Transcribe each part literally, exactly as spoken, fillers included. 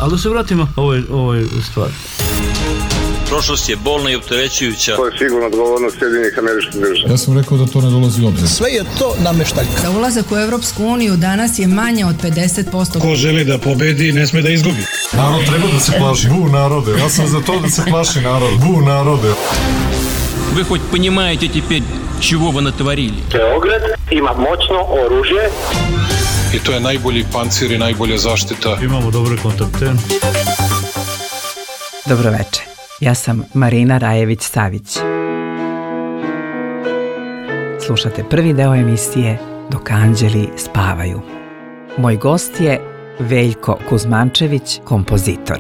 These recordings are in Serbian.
Ali da se vratimo ovoj, ovoj stvari. Prošlost je bolna i opterećujuća. To je sigurno odgovornost Sjedinjenih Američkih Država. Ja sam rekao da to ne dolazi u obzir. Sve je to nameštaljka. Za ulazak u Evropsku uniju danas je manje od pedeset posto. Ko želi da pobedi, ne sme da izgubi. Narod treba da se plaši. Bu narode. Ja sam za to da se plaši narod. Bu narode. Вы хоть понимаете теперь, чего вы натворили? Beograd ima moćno oružje. I to je najbolji pancir i najbolja zaštita. Imamo dobre kontakte. Dobro večer. Ja sam Marina Rajević-Savić. Slušate prvi deo emisije Dok anđeli spavaju. Moj gost je Veljko Kuzmančević, kompozitor.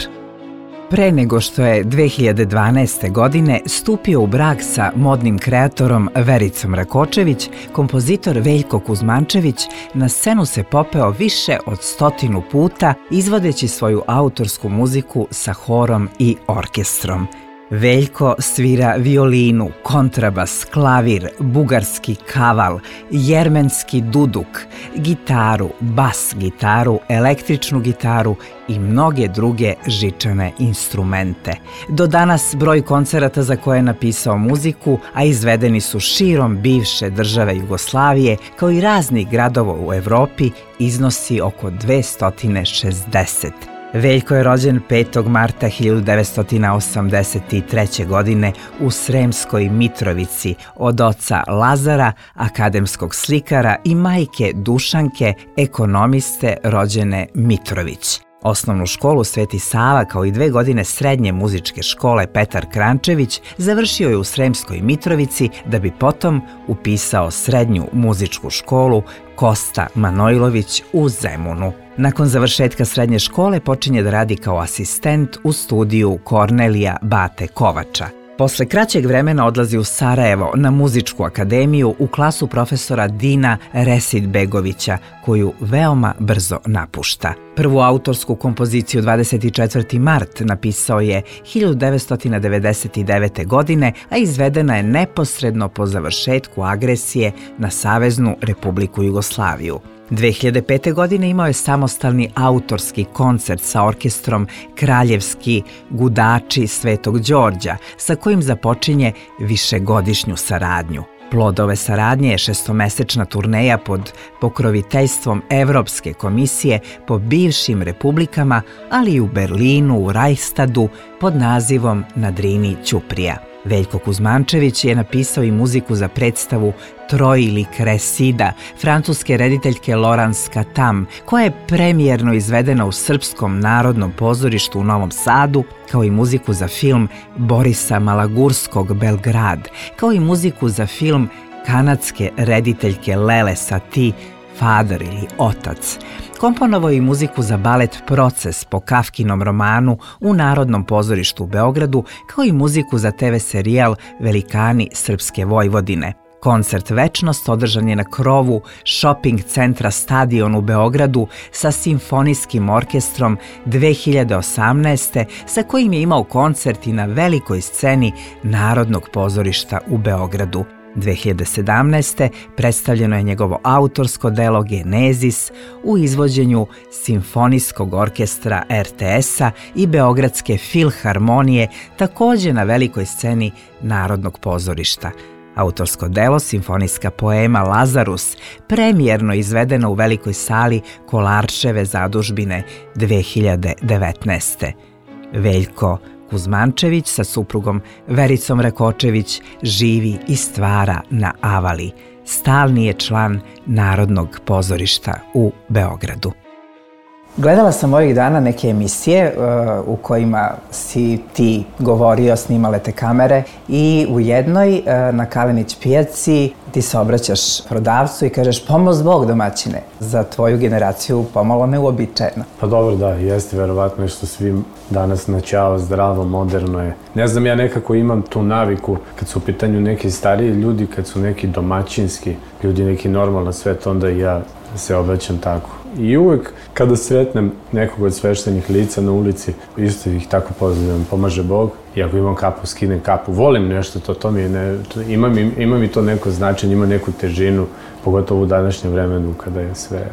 Pre nego što je dve hiljade dvanaeste. godine stupio u brak sa modnim kreatorom Vericom Rakočević, kompozitor Veljko Kuzmančević na scenu se popeo više od stotinu puta izvodeći svoju autorsku muziku sa horom i orkestrom. Veljko svira violinu, kontrabas, klavir, bugarski kaval, jermenski duduk, gitaru, bas gitaru, električnu gitaru i mnoge druge žičane instrumente. Do danas broj koncerata za koje je napisao muziku, a izvedeni su širom bivše države Jugoslavije, kao i raznih gradova u Evropi, iznosi oko dvesta šezdeset. Veljko je rođen petog marta hiljadu devetsto osamdeset treće. godine u Sremskoj Mitrovici od oca Lazara, akademskog slikara, i majke Dušanke, ekonomiste rođene Mitrović. Osnovnu školu Sveti Sava kao i dve godine srednje muzičke škole Petar Krančević završio je u Sremskoj Mitrovici da bi potom upisao srednju muzičku školu Kosta Manojlović u Zemunu. Nakon završetka srednje škole počinje da radi kao asistent u studiju Kornelija Bate Kovača. Posle kraćeg vremena odlazi u Sarajevo na muzičku akademiju u klasu profesora Dina Residbegovića, koju veoma brzo napušta. Prvu autorsku kompoziciju dvadeset četvrti mart napisao je hiljadu devetsto devedeset devete. godine, a izvedena je neposredno po završetku agresije na Saveznu Republiku Jugoslaviju. dve hiljade pete. godine imao je samostalni autorski koncert sa orkestrom Kraljevski gudači Svetog Đorđa, sa kojim započinje višegodišnju saradnju. Plod ove saradnje je šestomesečna turneja pod pokroviteljstvom Evropske komisije po bivšim republikama, ali i u Berlinu, u Reichstadu, pod nazivom Na Drini Ćuprija. Veljko Kuzmančević je napisao i muziku za predstavu Troj ili Kresida francuske rediteljke Laurence Katam, koja je premijerno izvedena u Srpskom narodnom pozorištu u Novom Sadu, kao i muziku za film Borisa Malagurskog Belgrad, kao i muziku za film kanadske rediteljke Lele Satie Father ili Otac. Komponovao je i muziku za balet Proces po Kafkinom romanu u Narodnom pozorištu u Beogradu, kao i muziku za te ve serijal Velikani Srpske Vojvodine. Koncert Večnost održan je na krovu shopping centra Stadion u Beogradu sa simfonijskim orkestrom dve hiljade osamnaeste. sa kojim je imao koncert i na velikoj sceni Narodnog pozorišta u Beogradu. dve hiljade sedamnaeste. predstavljeno je njegovo autorsko delo Genezis u izvođenju Simfonijskog orkestra er te es-a i Beogradske filharmonije, takođe na velikoj sceni Narodnog pozorišta. Autorsko delo, simfonijska poema Lazarus, premijerno izvedeno u velikoj sali Kolarčeve zadužbine dve hiljade devetnaeste. Veljko Kuzmančević sa suprugom Vericom Rakočević živi i stvara na Avali. Stalni je član Narodnog pozorišta u Beogradu. Gledala sam ovih dana neke emisije uh, u kojima si ti govorio, snimale te kamere, i u jednoj uh, na Kalenić pijaci ti se obraćaš prodavcu i kažeš pomoz Bog domaćine. Za tvoju generaciju pomalo neuobičajeno. Pa dobro, da, jeste verovatno što svim danas načao, zdravo, moderno je. Ne znam, ja nekako imam tu naviku kad su u pitanju neki stariji ljudi, kad su neki domaćinski ljudi, neki normalno svet, onda i ja se obraćam tako. I uvek kada sretnem nekog od sveštenih lica na ulici, isto ih tako pozdravljam, pomaže Bog. I ako imam kapu, skinem kapu. Volim nešto, to, to mi je ne, to, ima, mi, ima mi to neko značenje, ima neku težinu, pogotovo u današnjem vremenu kada je sve,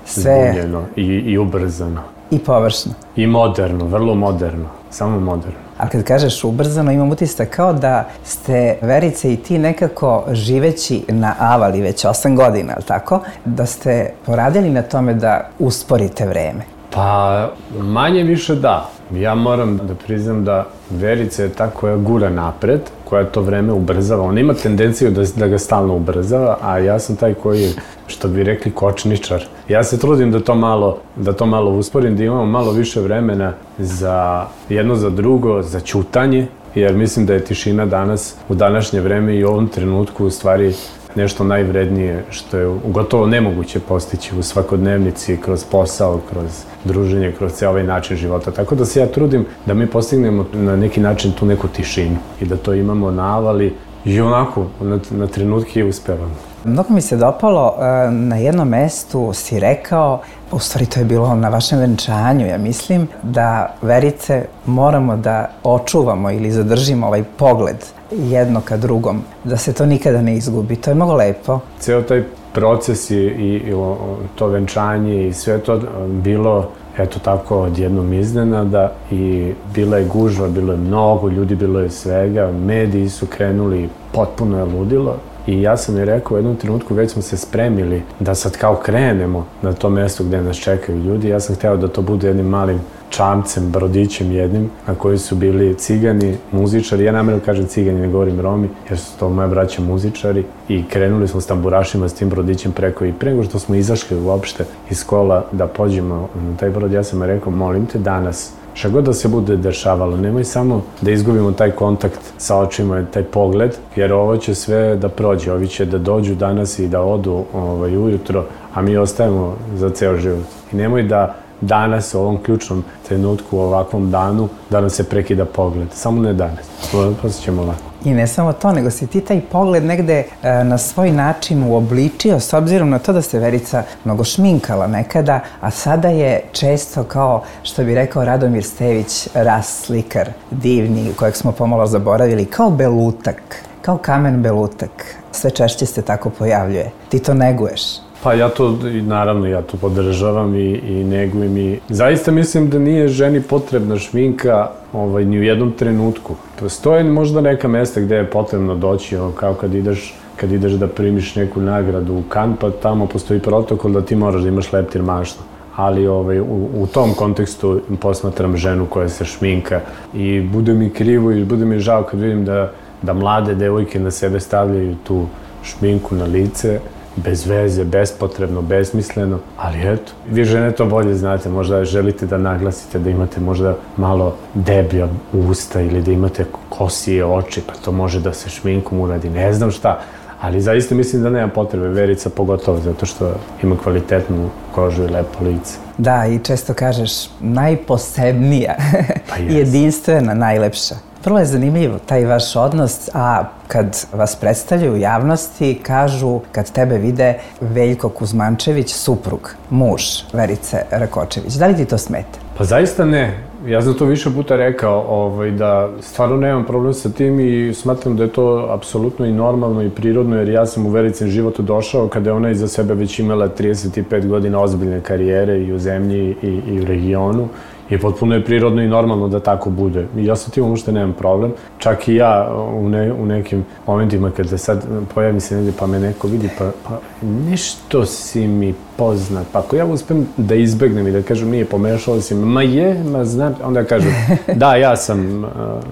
sve... zbunjeno i, i ubrzano. I površno. I moderno, vrlo moderno, samo moderno. Ali kad kažeš ubrzano, imam utisak kao da ste, Verice, i ti nekako živeći na Avali već osam godina, ali tako? Da ste poradili na tome da usporite vreme. Pa, manje više da. Ja moram da priznam da Verica je ta koja gura napred, koja to vreme ubrzava. Ona ima tendenciju da, da ga stalno ubrzava, a ja sam taj koji je, što bi rekli, kočničar. Ja se trudim da to malo, da to malo usporim, da imamo malo više vremena za jedno za drugo, za ćutanje, jer mislim da je tišina danas, u današnje vreme i u ovom trenutku u stvari nešto najvrednije što je gotovo nemoguće postići u svakodnevnici, kroz posao, kroz druženje, kroz ceo ovaj način života. Tako da se ja trudim da mi postignemo na neki način tu neku tišinu i da to imamo na Avali i onako na, na trenutke uspevamo. Mnogo mi se dopalo, na jednom mestu si rekao, u stvari to je bilo na vašem venčanju, ja mislim, da, Verice, moramo da očuvamo ili zadržimo ovaj pogled jedno ka drugom, da se to nikada ne izgubi. To je mnogo lepo. Ceo taj proces i, i, i to venčanje i sve to bilo, eto tako, odjednom iznenada i bila je gužva, bilo je mnogo ljudi, bilo je svega, mediji su krenuli, potpuno je ludilo. I ja sam je rekao, u jednom trenutku već smo se spremili da sad kao krenemo na to mesto gde nas čekaju ljudi. Ja sam hteo da to bude jednim malim čamcem, brodićem jednim, na koji su bili cigani, muzičari. Ja namerno kažem cigani, ne govorim Romi, jer su to moja braća muzičari. I krenuli smo s tamburašima, s tim brodićem preko. I pre nego što smo izašli uopšte iz kola da pođemo na taj brod, ja sam je rekao, molim te danas, šta god da se bude dešavalo, nemoj samo da izgubimo taj kontakt sa očima, taj pogled, jer ovo će sve da prođe, ovi će da dođu danas i da odu ovaj, ujutro, a mi ostajemo za ceo život. I nemoj da danas, u ovom ključnom trenutku, u ovakvom danu, da nam se prekida pogled. Samo ne danas. Posle ćemo ovako. I ne samo to, nego si ti taj pogled negde e, na svoj način uobličio, s obzirom na to da se Verica mnogo šminkala nekada, a sada je često, kao što bi rekao Radomir Stević, ras slikar, divni, kojeg smo pomalo zaboravili, kao belutak, kao kamen belutak. Sve češće se tako pojavljuje. Ti to neguješ. Pa ja to, naravno, ja to podržavam i, i negujem i zaista mislim da nije ženi potrebna šminka ovaj, ni u jednom trenutku. Postoje možda neka mesta gde je potrebno doći, ono, kao kad ideš, kad ideš da primiš neku nagradu u Kan, pa tamo postoji protokol da ti moraš da imaš leptir maštu. Ali ovaj, u, u tom kontekstu posmatram ženu koja se šminka i bude mi krivo i bude mi žao kad vidim da, da mlade devojke na sebe stavljaju tu šminku na lice, bez veze, bespotrebno, besmisleno, ali eto, vi žene to bolje znate, možda želite da naglasite da imate možda malo deblja usta ili da imate kosije oči, pa to može da se šminkom uradi, ne znam šta, ali zaista mislim da nema potrebe, Verica pogotovo, zato što ima kvalitetnu kožu i lepo lice. Da, i često kažeš najposebnija, pa jedinstvena, najlepša. Vrlo je zanimljivo taj vaš odnos, a kad vas predstavljaju u javnosti, kažu, kad tebe vide, Veljko Kuzmančević, suprug, muž Verice Rakočević. Da li ti to smeta? Pa zaista ne. Ja sam to više puta rekao, ovaj, da stvarno nemam problem sa tim i smatram da je to apsolutno i normalno i prirodno, jer ja sam u Vericin životu došao kada je ona iza sebe već imala trideset pet godina ozbiljne karijere i u zemlji i, i u regionu. I potpuno je prirodno i normalno da tako bude. I ja sa tim uopšte nemam problem. Čak i ja u, ne, u nekim momentima kada sad pojavi se negdje pa me neko vidi, pa, pa nešto si mi poznat. Pa ako ja uspem da izbegnem i da kažem nije, pomešao si me, ma je, ma znam, onda kažem da, ja sam uh,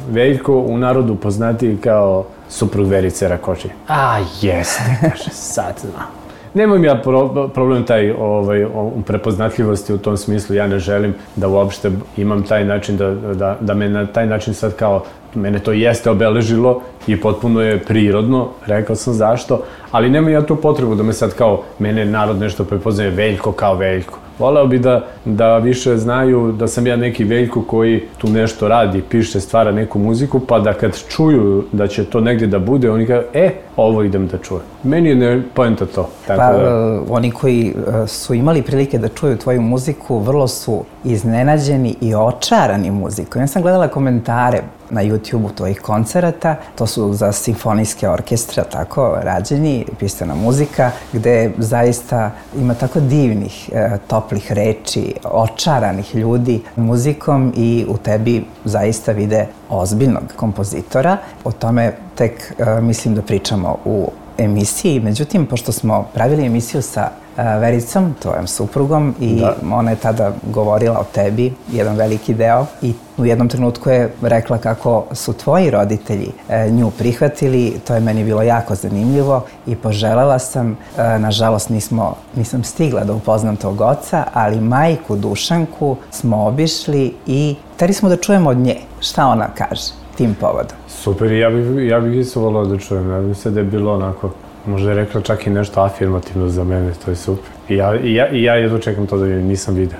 Veljko, u narodu poznatiji kao suprug Verice Rakočević. A jeste, kaže, sad znam. Nemam ja pro, problem taj ovaj, u prepoznatljivosti u tom smislu, ja ne želim da uopšte imam taj način, da, da, da me na taj način sad kao, mene to jeste obeležilo i potpuno je prirodno, rekao sam zašto, ali nemam ja tu potrebu da me sad kao, mene narod nešto prepoznaje Veljko kao Veljko. Voleo bi da, da više znaju da sam ja neki Veljko koji tu nešto radi, piše, stvara neku muziku, pa da kad čuju da će to negdje da bude, oni kažu, e, ovo idem da čujem. Meni je ne poenta to. Tako pa da... oni koji su imali prilike da čuju tvoju muziku, vrlo su iznenađeni i očarani muzikom. Ja sam gledala komentare na YouTube-u tvojih koncerata. To su za simfonijske orkestre, tako, rađeni, pisana muzika, gde zaista ima tako divnih, e, toplih reči, očaranih ljudi muzikom i u tebi zaista vide ozbiljnog kompozitora. O tome tek e, mislim da pričamo u emisiji. Međutim, pošto smo pravili emisiju sa Vericom, tvojom suprugom, i da. Ona je tada govorila o tebi, jedan veliki deo, i u jednom trenutku je rekla kako su tvoji roditelji nju prihvatili. To je meni bilo jako zanimljivo i poželela sam, nažalost nismo, nisam stigla da upoznam tog oca, ali majku Dušanku smo obišli i hteli smo da čujemo od nje šta ona kaže tim povodom. Super, ja bih, ja bih isto volao da čujem. Ja bih se da je bilo onako, možda je rekla čak i nešto afirmativno za mene, to je super. I ja, i ja, i ja jedno čekam to da je nisam vidio.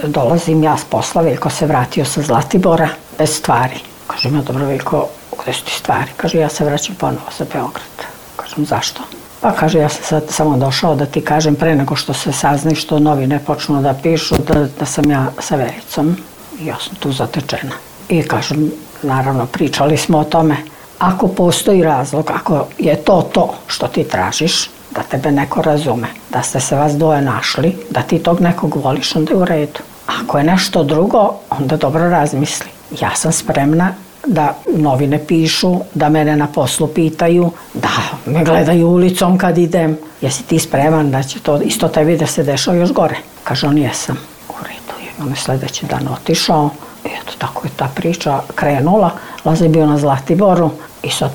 Dolazim ja s posla, Veljko se vratio sa Zlatibora bez stvari. Kažem ja, dobro Veljko, gde su ti stvari? Kaže, ja se vraćam ponovo za Beograd. Kažem, zašto? Pa kaže, ja sam sad samo došao da ti kažem pre nego što se sazna što novine počnu da pišu da, da sam ja sa Vericom. I ja sam tu zatečena. I kažem, naravno, pričali smo o tome. Ako postoji razlog, ako je to to što ti tražiš, da tebe neko razume, da ste se vas dvoje našli, da ti tog nekog voliš, onda je u redu. Ako je nešto drugo, onda dobro razmisli. Ja sam spremna da novine pišu, da mene na poslu pitaju, da me gledaju ulicom kad idem. Jesi ti spreman da će to isto tebi da se dešava još gore? Kaže on, jesam. U redu je. On je sledeći dan otišao. I eto, tako je ta priča krenula. Laza je bio na Zlatiboru i sad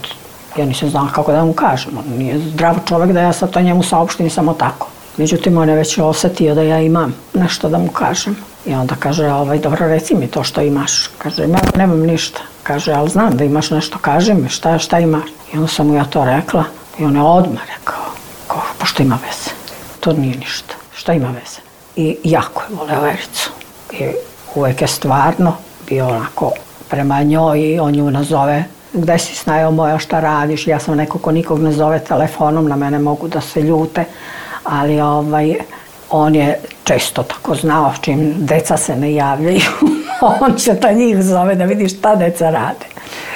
ja nisam znala kako da mu kažem. On nije zdrav čovek da ja sad to njemu saopštim samo tako. Međutim, on je već osetio da ja imam nešto da mu kažem. I onda kaže, ovaj, dobro, reci mi to što imaš. Kaže, ja nemam ništa. Kaže, ali znam da imaš nešto, kaži mi šta, šta imaš. I onda sam mu ja to rekla i on je odmah rekao, kao, pa što ima veze? To nije ništa. Šta ima veze? I jako je voleo Vericu. I uvek je stvarno bio onako prema njoj i on nju nazove, gde si Snajo moja, šta radiš? Ja sam neko ko nikog ne zove telefonom, na mene mogu da se ljute, ali ovaj, on je često tako znao, čim deca se ne javljaju, on će ta njih zove da vidi šta deca rade.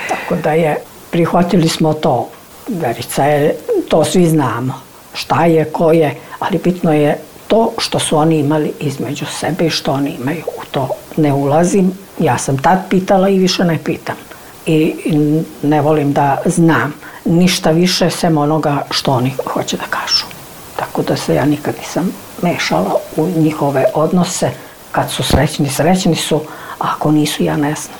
Tako da je, prihvatili smo to. Verica je, to svi znamo, šta je, ko je, ali bitno je to što su oni imali između sebe i što oni imaju. U to ne ulazim. Ja sam tad pitala i više ne pitam. I ne volim da znam ništa više sem onoga što oni hoće da kažu. Tako da se ja nikad nisam mešala u njihove odnose. Kad su srećni, srećni su, a ako nisu, ja ne znam.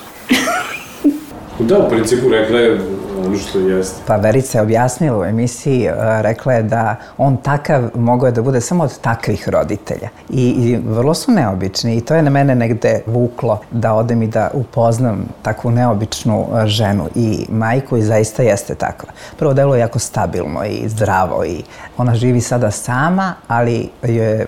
Da, u principu rekla je ono što jeste. Pa Verica je objasnila u emisiji, rekla je da on takav mogao je da bude samo od takvih roditelja. I, i vrlo su neobični i to je na mene negde vuklo da odem i da upoznam takvu neobičnu ženu i majku i zaista jeste takva. Prvo delo je jako stabilno i zdravo i ona živi sada sama, ali je,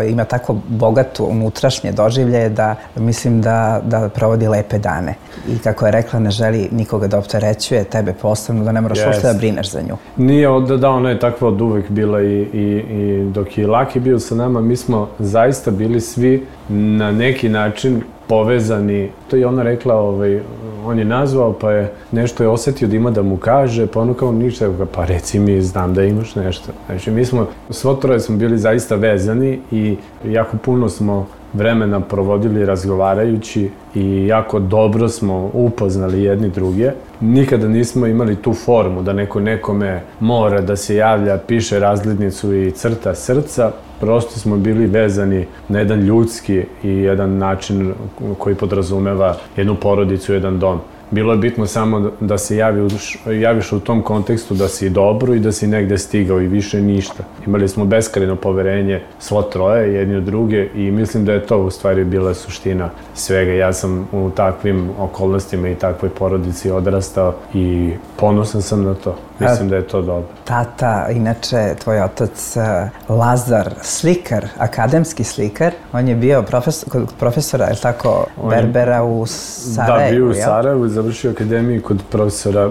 ima tako bogatu unutrašnje doživljaje da mislim da, da provodi lepe dane. I kako je rekla, ne želi nikoga da opterećuje, tebe posebno, da ne moraš uopšte da brineš za nju. Nije, od, da, ona je takva od uvek bila i, i, i dok je Laki bio sa nama, mi smo zaista bili svi na neki način povezani. To je ona rekla, ovaj, on je nazvao, pa je nešto je osetio da ima da mu kaže, pa ono kao ništa, pa reci mi, znam da imaš nešto. Znači, mi smo, svo troje smo bili zaista vezani i jako puno smo vremena provodili razgovarajući i jako dobro smo upoznali jedni druge. Nikada nismo imali tu formu da neko nekome mora da se javlja, piše razglednicu i crta srca. Prosto smo bili vezani na jedan ljudski i jedan način koji podrazumeva jednu porodicu, jedan dom. Bilo je bitno samo da se javi, javiš u tom kontekstu da si dobro i da si negde stigao i više ništa. Imali smo beskrajno poverenje svo troje, jedni od druge i mislim da je to u stvari bila suština svega. Ja sam u takvim okolnostima i takvoj porodici odrastao i ponosan sam na to. Mislim da je to dobro. Tata, inače, tvoj otac Lazar, slikar, akademski slikar, on je bio profesor, kod profesora, je li tako, Berbera u Sarajevu, da, bio u Sarajevu, završio akademiju kod profesora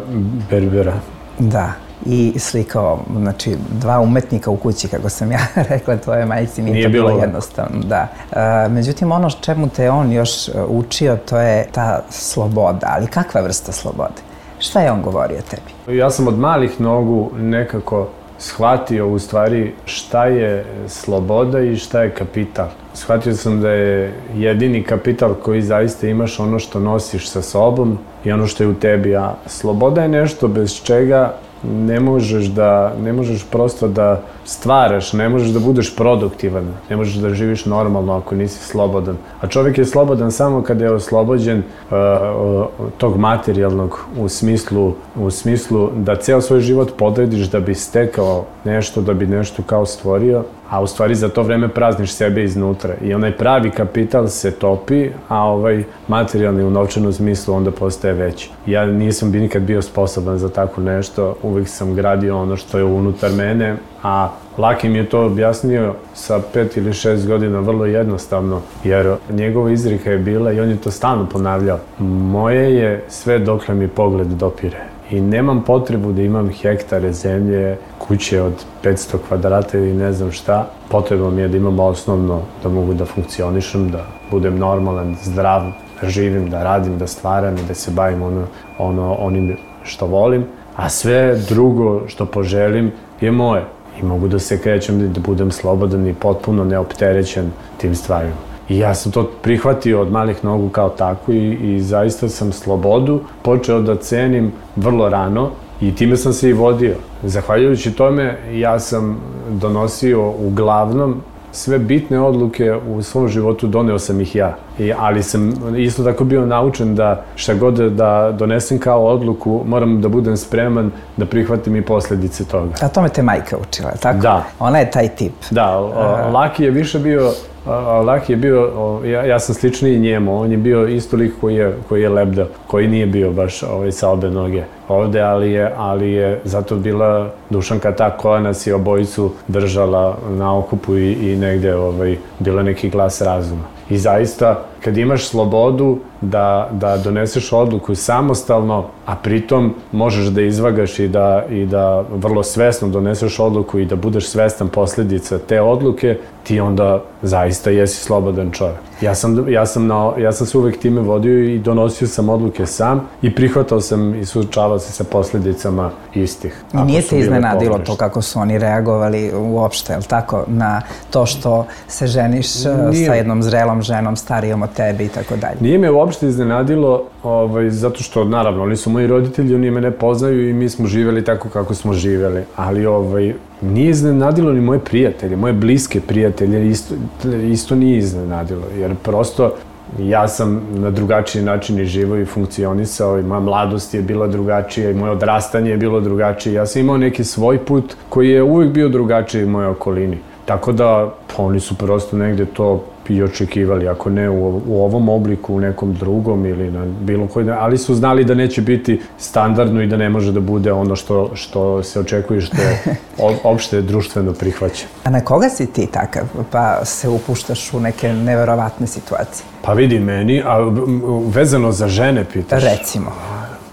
Berbera. Da, i slikao, znači, dva umetnika u kući, kako sam ja rekla tvojoj majici, nije, nije to bilo jednostavno. Da. E, međutim, ono čemu te on još učio, to je ta sloboda, ali kakva vrsta slobode? Šta je on govorio tebi? Ja sam od malih nogu nekako shvatio u stvari šta je sloboda i šta je kapital. Shvatio sam da je jedini kapital koji zaista imaš ono što nosiš sa sobom i ono što je u tebi, a sloboda je nešto bez čega ne možeš da, ne možeš prosto da stvaraš, ne možeš da budeš produktivan, ne možeš da živiš normalno ako nisi slobodan. A čovjek je slobodan samo kada je oslobođen uh, uh, tog materijalnog u smislu, u smislu da ceo svoj život podrediš da bi stekao nešto, da bi nešto kao stvorio, a u stvari za to vreme prazniš sebe iznutra. I onaj pravi kapital se topi, a ovaj materijalni u novčanom smislu onda postaje veći. Ja nisam bi nikad bio sposoban za tako nešto, uvijek sam gradio ono što je unutar mene, a Laki mi je to objasnio sa pet ili šest godina vrlo jednostavno, jer njegova izreka je bila, i on je to stalno ponavljao, moje je sve dokle mi pogled dopire. I nemam potrebu da imam hektare zemlje, kuće od petsto kvadrata ili ne znam šta. Potrebno mi je da imam osnovno, da mogu da funkcionišem, da budem normalan, zdrav, da živim, da radim, da stvaram i da se bavim ono, ono, onim što volim. A sve drugo što poželim je moje. I mogu da se krećem, da budem slobodan i potpuno neopterećen tim stvarima. I ja sam to prihvatio od malih nogu kao tako i, i zaista sam slobodu počeo da cenim vrlo rano i time sam se i vodio. Zahvaljujući tome ja sam donosio uglavnom sve bitne odluke u svom životu, doneo sam ih ja. I, ali sam isto tako bio naučen da šta god da donesem kao odluku, moram da budem spreman da prihvatim i posljedice toga. A tome te majka učila, tako? Da. Ona je taj tip. Da, Laki je više bio, Laki je bio, ja, ja sam sličniji njemu, on je bio isto lik koji je, koji je lebdao, koji nije bio baš ovaj, sa obe noge ovde, ali je, ali je zato bila Dušanka ta koja nas je obojicu držala na okupu i, i negde ovaj, bila neki glas razuma. I zaista, kad imaš slobodu da, da doneseš odluku samostalno, a pritom možeš da izvagaš i da, i da vrlo svesno doneseš odluku i da budeš svestan posljedica te odluke, ti onda zaista jesi slobodan čovjek. Ja sam, ja sam, na, ja sam se uvek time vodio i donosio sam odluke sam i prihvatao sam i suočavao se sa posljedicama istih. I nije te iznenadilo to kako su oni reagovali uopšte, je li tako, na to što se ženiš nije, sa jednom zrelom ženom, starijom od tebe i tako dalje? Nije me uopšte iznenadilo, ovaj, zato što, naravno, oni su moji roditelji, oni me ne poznaju i mi smo živjeli tako kako smo živjeli, ali ovaj, nije iznenadilo ni moje prijatelje, moje bliske prijatelje, isto, isto nije iznenadilo, jer prosto ja sam na drugačiji način i živo i funkcionisao i moja mladost je bila drugačija i moje odrastanje je bilo drugačije. Ja sam imao neki svoj put koji je uvijek bio drugačiji u mojoj okolini. Tako da oni su prosto negde to i očekivali, ako ne u, u ovom obliku, u nekom drugom ili na bilo koji, ali su znali da neće biti standardno i da ne može da bude ono što, što se očekuje, što je opšte društveno prihvaćeno. A na koga si ti takav, pa se upuštaš u neke neverovatne situacije? Pa vidi meni, a vezano za žene pitaš? Recimo.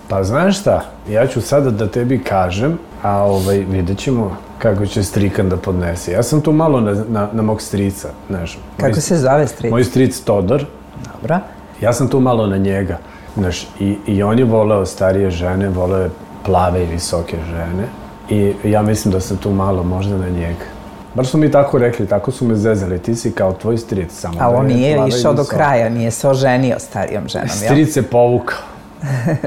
Pa znaš šta, ja ću sada da tebi kažem, a ovaj, vidjet ćemo kako će strikan da podnese. Ja sam tu malo na, na, na mog strica, znaš. Kako moj, se zove stric? Moj stric Todor. Dobro. Ja sam tu malo na njega, znaš, i, i on je voleo starije žene, voleo je plave i visoke žene i ja mislim da sam tu malo možda na njega. Bar su mi tako rekli, tako su me zezali, ti si kao tvoj stric samo. Ali on nije išao do kraja, nije se oženio starijom ženom, jel? Stric se povukao,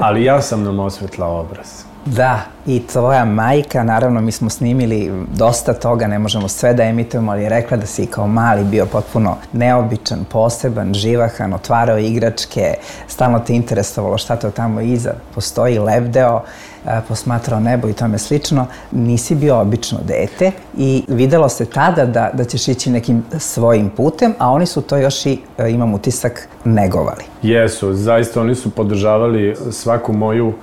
ali ja sam nam osvetlao obraz. Da, i tvoja majka, naravno mi smo snimili dosta toga, ne možemo sve da emitujemo, ali je rekla da si kao mali bio potpuno neobičan, poseban, živahan, otvarao igračke, stalno te interesovalo šta to tamo iza postoji, lebdeo, posmatrao nebo i tome slično. Nisi bio obično dete i videlo se tada da, da ćeš ići nekim svojim putem, a oni su to još i, imam utisak, negovali. Jesu, zaista oni su podržavali svaku moju uh,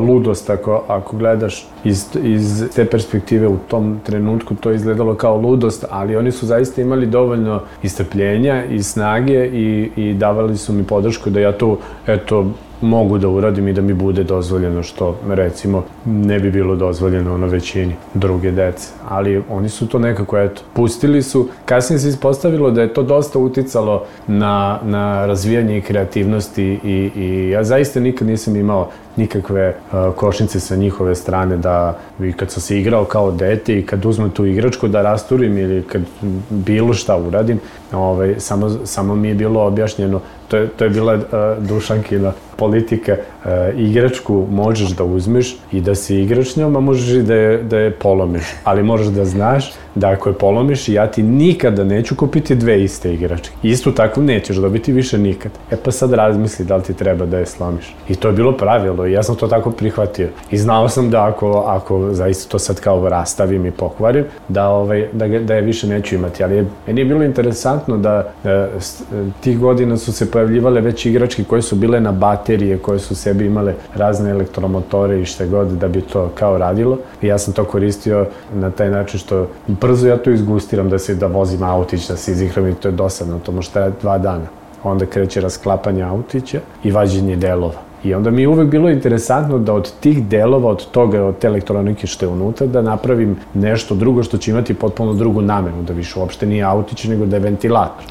ludost, ako, ako gledaš iz, iz te perspektive u tom trenutku, to je izgledalo kao ludost, ali oni su zaista imali dovoljno i strpljenja i snage i, i davali su mi podršku da ja tu, eto, mogu da uradim i da mi bude dozvoljeno, što recimo ne bi bilo dozvoljeno na većini druge dece. Ali oni su to nekako, eto, pustili su. Kasnije se ispostavilo da je to dosta uticalo na, na razvijanje i kreativnosti i, i ja zaista nikad nisam imao nikakve uh, košnice sa njihove strane da i kad sam se igrao kao dete i kad uzmem tu igračku da rasturim ili kad bilo šta uradim, ovaj, samo, samo mi je bilo objašnjeno, to je, to je bila uh, Dušankina politika, uh, igračku možeš da uzmeš i da se igraš njom, a možeš i da je, da je polomiš, ali moraš da znaš da ako je polomiš, ja ti nikada neću kupiti dve iste igračke. Istu takvu nećeš dobiti više nikad. E pa sad razmisli da li ti treba da je slomiš. I to je bilo pravilo i ja sam to tako prihvatio. I znao sam da ako, ako zaista to sad kao rastavim i pokvarim, da, ovaj, da, da je više neću imati. Ali je, meni je bilo interesantno da e, tih godina su se pojavljivale već igračke koje su bile na baterije, koje su sebi imale razne elektromotore i šta god da bi to kao radilo. I ja sam to koristio na taj način što brzo ja to izgustiram da se da vozim autić, da se izigram i to je dosadno, to može trajati dva dana. Onda kreće rasklapanje autića i vađenje delova. I onda mi je uvek bilo interesantno da od tih delova, od toga, od te elektronike što je unutra, da napravim nešto drugo što će imati potpuno drugu namenu, da više uopšte nije autić, nego da je ventilator.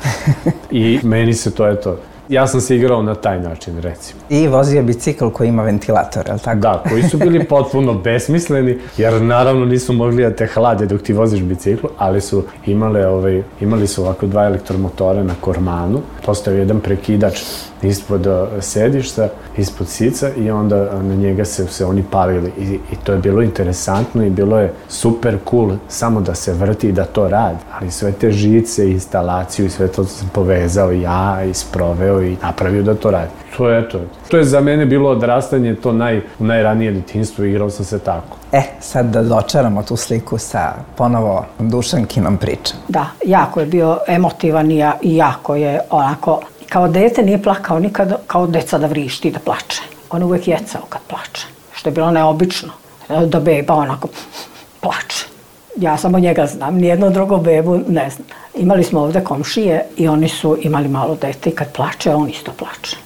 I meni se to, eto, ja sam se igrao na taj način, recimo. I vozio bicikl koji ima ventilator, je li tako? Da, koji su bili potpuno besmisleni, jer naravno nisu mogli da te hlade dok ti voziš biciklu, ali su imale, ovaj, imali su ovako dva elektromotora na kormanu, postavio jedan prekidač ispod sedišta, ispod sica i onda na njega se, se oni palili I, i to je bilo interesantno i bilo je super cool samo da se vrti i da to radi, ali sve te žice, instalaciju i sve to sam povezao ja i sproveo i napravio da to radi. To je to. To je za mene bilo odrastanje, to naj, najranije detinjstvo, igrao sam se tako. E, sad da dočaramo tu sliku sa ponovo Dušankinom pričom. Da, jako je bio emotivan i jako je onako, kao dete nije plakao nikad kao deca da vrišti, da plače. On uvek jecao kad plače, što je bilo neobično, da beba onako plače. Ja samo njega znam, nijedno drugo bebu ne znam. Imali smo ovde komšije i oni su imali malo dete i kad plače, on isto plače.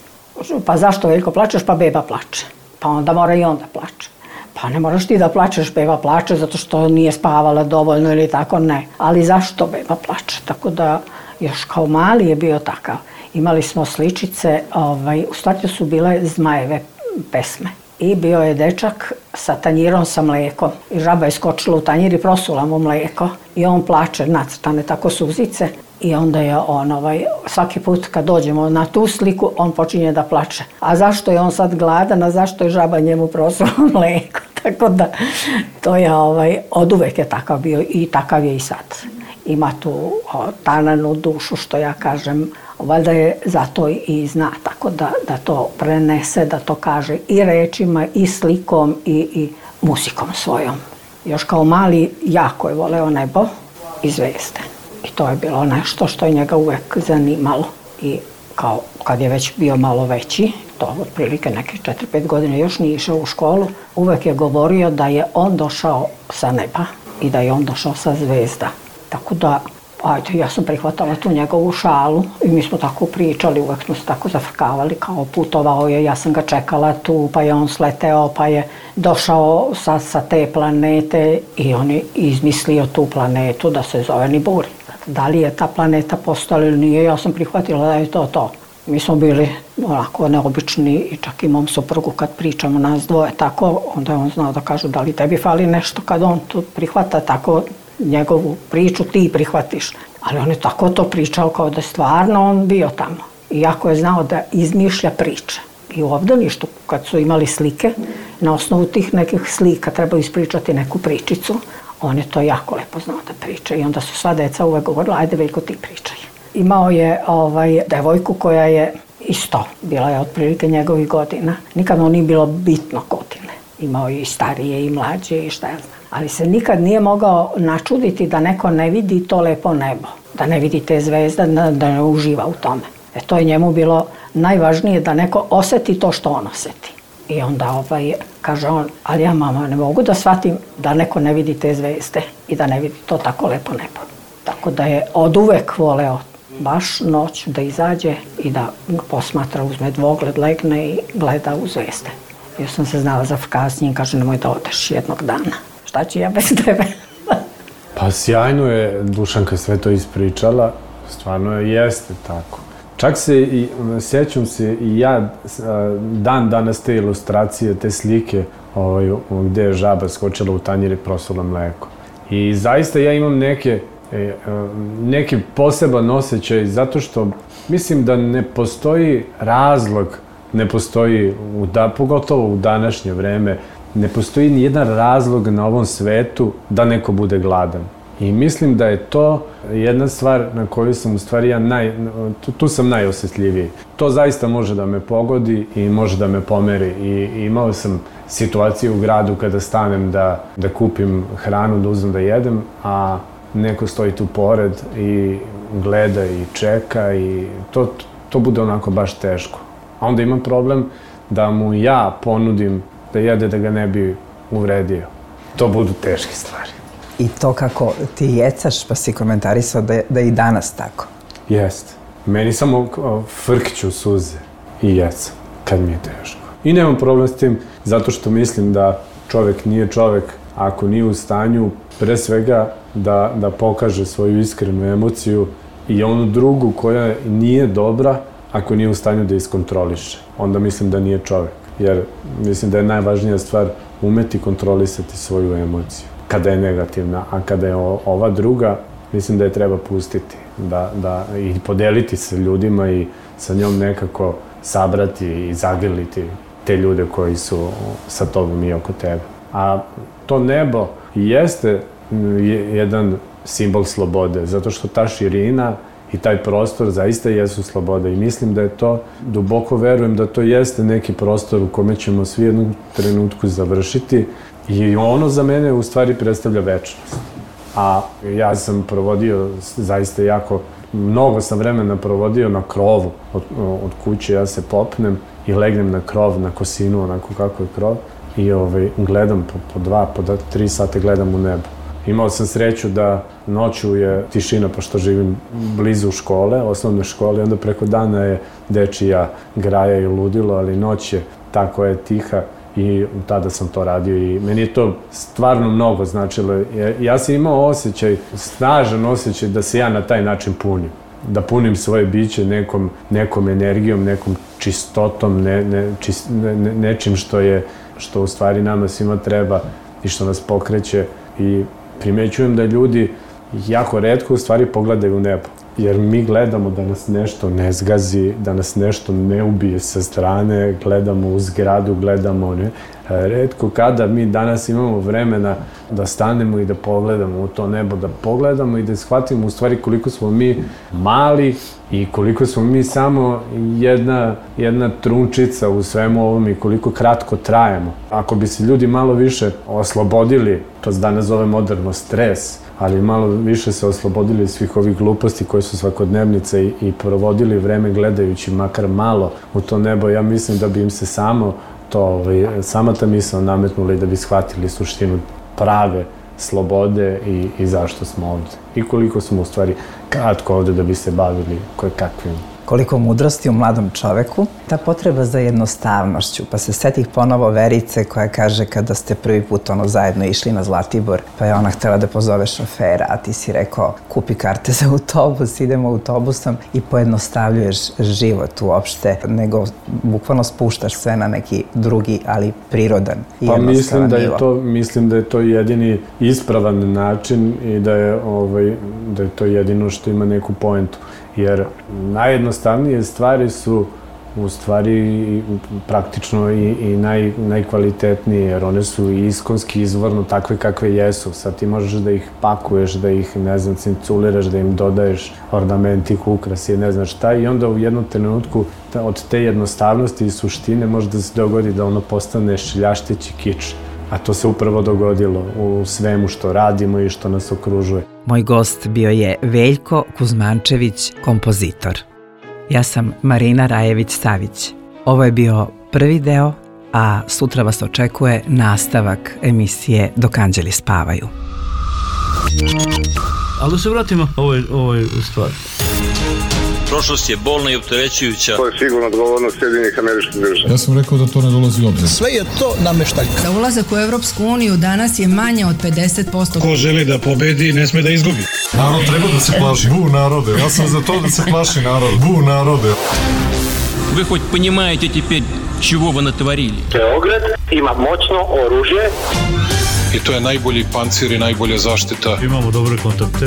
Pa zašto Veljko plačeš? Pa beba plače. Pa onda mora i on da plače. Pa ne moraš ti da plačeš, beba plače zato što nije spavala dovoljno ili tako, ne. Ali zašto beba plače? Tako da još kao mali je bio takav. Imali smo sličice, ovaj, u stvari su bile Zmajeve pesme. I bio je dečak sa tanjirom sa mlekom. I žaba je skočila u tanjir i prosula mu mleko. I on plače, nacrtane tako suzice. I onda je on, ovaj, svaki put kad dođemo na tu sliku, on počinje da plače. A zašto je on sad gladan, a zašto je žaba njemu prosula mleko? Tako da, to je, ovaj, od uvek je takav bio i takav je i sad. Ima tu o, tananu dušu, što ja kažem, valjda je zato i zna, tako da, da to prenese, da to kaže i rečima, i slikom, i, i muzikom svojom. Još kao mali jako je voleo nebo i zvezde. I to je bilo nešto što je njega uvek zanimalo. I kao kad je već bio malo veći, to otprilike neke četiri pet godine još nije išao u školu, uvek je govorio da je on došao sa neba i da je on došao sa zvezda. Tako da, ajde, ja sam prihvatala tu njegovu šalu i mi smo tako pričali, uvek smo se tako zafrkavali, kao putovao je, ja sam ga čekala tu, pa je on sleteo, pa je došao sa, sa te planete i on je izmislio tu planetu da se zove Niburi. Da li je ta planeta postala ili nije, ja sam prihvatila da je to to. Mi smo bili onako neobični i čak i mom suprugu kad pričamo nas dvoje tako, onda je on znao da kaže da li tebi fali nešto kad on tu prihvata tako njegovu priču, ti prihvatiš. Ali on je tako to pričao kao da je stvarno on bio tamo. Iako je znao da izmišlja priče. I u obdaništu kad su imali slike, na osnovu tih nekih slika treba ispričati neku pričicu, on je to jako lepo znao da priča. I onda su sva deca uvek govorila, ajde Veljko ti pričaj. Imao je ovaj, devojku koja je isto, bila je otprilike njegovih godina. Nikad on nije bilo bitno godine. Imao je i starije i mlađe i šta ja znam. Ali se nikad nije mogao načuditi da neko ne vidi to lepo nebo. Da ne vidi te zvezde, da, da ne uživa u tome. E to je njemu bilo najvažnije da neko oseti to što on oseti. I onda ovaj, kaže on, ali ja mama ne mogu da shvatim da neko ne vidi te zvezde i da ne vidi to tako lepo nebo. Tako da je od uvek voleo baš noć da izađe i da posmatra, uzme dvogled, legne i gleda u zvezde. Ja sam se znala za kasnije, kaže nemoj da odeš jednog dana. Šta ću ja bez tebe? Pa sjajno je Dušanka sve to ispričala, stvarno je, jeste tako. Čak se i, sjećam se i ja dan danas te ilustracije, te slike ovaj, gde je žaba skočila u tanjir i prosula mleko. I zaista ja imam neke, neki poseban osjećaj zato što mislim da ne postoji razlog, ne postoji, u da, pogotovo u današnje vreme, ne postoji ni jedan razlog na ovom svetu da neko bude gladan. I mislim da je to jedna stvar na koju sam u stvari ja naj, tu, tu sam najosjetljiviji. To zaista može da me pogodi i može da me pomeri. I, i imao sam situaciju u gradu kada stanem da, da kupim hranu, da uzmem da jedem, a neko stoji tu pored i gleda i čeka i to, to bude onako baš teško. A onda imam problem da mu ja ponudim da jede da ga ne bi uvredio. To budu teške stvari. I to kako ti jecaš, pa si komentarisao da je, da je i danas tako. Jeste. Meni samo frkću suze i jecam kad mi je teško. I nemam problem s tim zato što mislim da čovek nije čovek ako nije u stanju pre svega da, da pokaže svoju iskrenu emociju i onu drugu koja nije dobra ako nije u stanju da iskontroliše. Onda mislim da nije čovek. Jer mislim da je najvažnija stvar umeti kontrolisati svoju emociju kada je negativna, a kada je ova druga, mislim da je treba pustiti da, da, i podeliti se ljudima i sa njom nekako sabrati i zagrliti te ljude koji su sa tobom i oko tebe. A to nebo jeste jedan simbol slobode, zato što ta širina i taj prostor zaista jesu sloboda i mislim da je to, duboko verujem da to jeste neki prostor u kome ćemo svi jednom trenutku završiti i ono za mene u stvari predstavlja večnost. A ja sam provodio zaista jako, mnogo sam vremena provodio na krovu od, od kuće, ja se popnem i legnem na krov, na kosinu, onako kako je krov i ovaj, gledam po, po dva, po tri sate gledam u nebo. Imao sam sreću da noću je tišina, pošto živim blizu škole, osnovne škole, onda preko dana je dečija graja i ludilo, ali noć je ta koja je tiha i tada sam to radio i meni je to stvarno mnogo značilo. Ja sam imao osjećaj, snažan osjećaj da se ja na taj način punim. Da punim svoje biće nekom, nekom energijom, nekom čistotom, ne, ne, čist, ne, ne, nečim što je, što u stvari nama svima treba i što nas pokreće. I primećujem da ljudi jako retko u stvari pogledaju u nebo. Jer mi gledamo da nas nešto ne zgazi, da nas nešto ne ubije sa strane, gledamo u zgradu, gledamo, ne. Retko kada mi danas imamo vremena da stanemo i da pogledamo u to nebo, da pogledamo i da shvatimo u stvari koliko smo mi mali i koliko smo mi samo jedna, jedna trunčica u svemu ovom i koliko kratko trajemo. Ako bi se ljudi malo više oslobodili, to se danas zove moderno stres, ali malo više se oslobodili svih ovih gluposti koje su svakodnevnice i, i provodili vreme gledajući makar malo u to nebo, ja mislim da bi im se samo to, ovaj, sama ta misao nametnula i da bi shvatili suštinu prave slobode i, i zašto smo ovde. I koliko smo u stvari kratko ovde da bi se bavili koje kakvim. Koliko mudrosti u mladom čoveku, ta potreba za jednostavnošću, pa se setih ponovo Verice koja kaže kada ste prvi put ono zajedno išli na Zlatibor, pa je ona htjela da pozove šofera, a ti si rekao kupi karte za autobus, idemo autobusom i pojednostavljuješ život uopšte, nego bukvalno spuštaš sve na neki drugi, ali prirodan i pa jednostavan mislim da je nivo. To, mislim da je to jedini ispravan način i da je, ovaj, da je to jedino što ima neku poentu. Jer najjednostavnije stvari su u stvari praktično i, i naj, najkvalitetnije, jer one su iskonski, izvorno takve kakve jesu. Sad ti možeš da ih pakuješ, da ih, ne znam, cinculiraš, da im dodaješ ornamentik, ukrasi, ne znam šta, i onda u jednom trenutku od te jednostavnosti i suštine može da se dogodi da ono postane šljašteći kič. A to se upravo dogodilo u svemu što radimo i što nas okružuje. Moj gost bio je Veljko Kuzmančević, kompozitor. Ja sam Marina Rajević-Savić. Ovo je bio prvi deo, a sutra vas očekuje nastavak emisije Dok anđeli spavaju. Ali da se vratimo ovoj, ovoj stvari. Prošlost je bolna i opterećujuća. To je sigurno odgovornost Sjedinjenih Američkih Država. Ja sam rekao da to ne dolazi u obzir. Sve je to nameštaljka. Za ulazak u Evropsku uniju danas je manje od pedeset posto. Ko želi da pobedi, ne sme da izgubi. Narod treba da se plaši. Bu narode. Ja sam za to da se plaši narod. Bu narode. Вы хоть понимаете теперь, чего вы натворили? Beograd ima moćno oružje. I to je najbolji pancir i najbolja zaštita. Imamo dobre kontakte.